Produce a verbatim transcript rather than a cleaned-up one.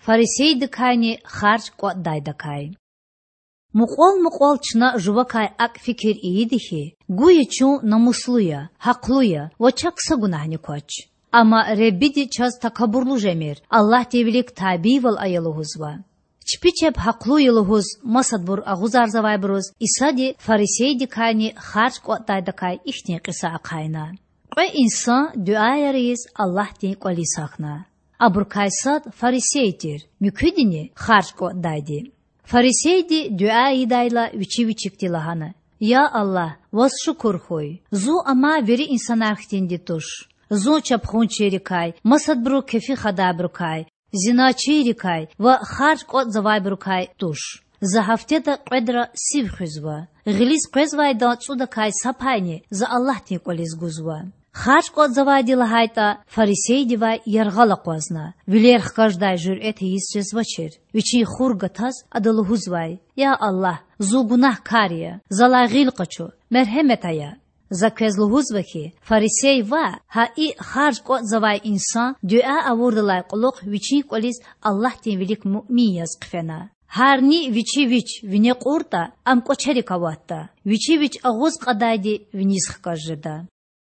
фарисейдикайни харж кІватІдайдакай. Мукьвал-мукьвал чна жувакай акІ фикир ийида хьи, гуя чун намуслу я, гьахълу я ва чак са гунагьни квач. Амма Худади чаз такабурлу жемир, Аллагьдин вилик табийвал ая лугьузва. Чпи чеб гьахълу я лугьуз масадбур агъузарзавайбуруз Исади фарисейдикайни харж кІватІдайдакай ихьтин кьиса ахъайна: Кьве инсан дуьаяр ийиз Аллагьдин кІвализ гьахьна. Абурукай сад фарисей тир, муькуьдини— харж кІватІдайди. Фарисейди дуьа ийидайла вичи вичикди лагьана: Я Аллагь, Ваз шукур хьуй, зун амай вири инсанар хьтинди туш. Зун чапхунчийрикай, масадбуру кефи хадайбурукай, зиначийрикай ва харж кІватІзавайбурукай туш. За гьафтеда кьведра сив хуьзва. Гъилиз къвезвайдан цІудакай са пайни за Аллагьдин кІвализ гузва. Харж кІватІзавайди лагьайтІа, фарисейдивай яргъал акъвазна, вилер хкаждай жуьрэт ийиз жезвачир. Вичин хур гатаз ада лугьузвай: Я Аллагь, зун гунагькар я, залай гъил къачу, мергьемет ая. За квез лугьузва хьи, фарисей ваъ, гьа и харж кІватІзавай инсан дуьа авурдалай кьулухъ вичин кІвализ Аллагьдин вилик муъмин яз хъфена. Гьарни вичи вич вине кьуртІа, ам кІвачерик аватда, вичи вич агъуз кьадайди виниз хкаж жеда.